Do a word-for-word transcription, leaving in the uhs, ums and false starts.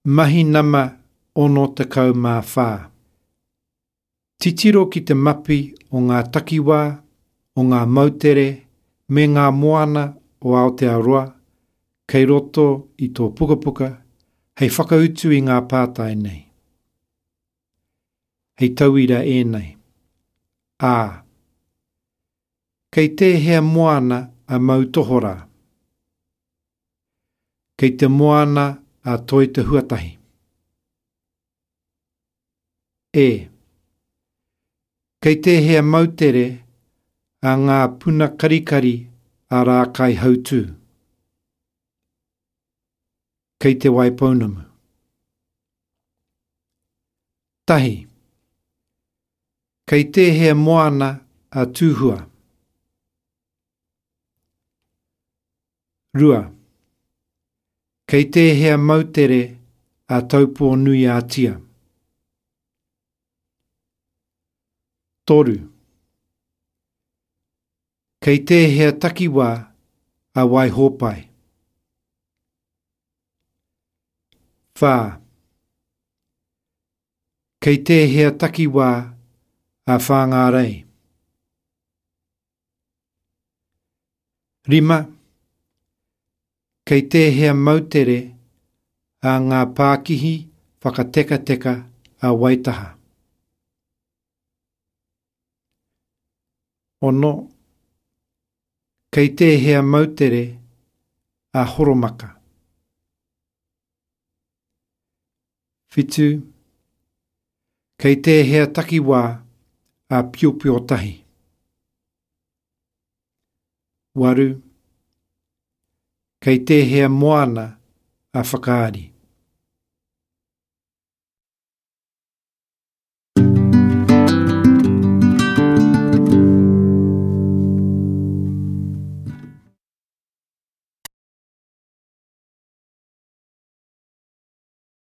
Mahi nama ono tekau mā whā. Titiro ki te mapi o ngā takiwā, o ngā moutere, me ngā moana o Aotearoa, kei roto i tō pukapuka, hei whakautu i ngā pātai nei. Hei tauira ēnei. A. Kei tēhea moana a Moutohorā? Kei te moana a Toi Te Huatahi. E. Kei tēhea moutere a ngā puna karikari a Rākaihautū? Kei Te Waipounamu. Tahi. Kei tēhea moana a Tūhua? Rua. Kei tēhea moutere a Taupō-nui-a-Tia? Toru. Kei tēhea takiwā a Waihōpai? Whā. Kei tēhea takiwā a Whāngārei? Rima. Kei tēhea moutere a ngā pākihi whakatekateka a Waitaha? Ono. Kei tēhea moutere a Horomaka? Whitu. Kei tēhea takiwā a Piopiotahi? Waru. Kei tēhea moana a Whakaari?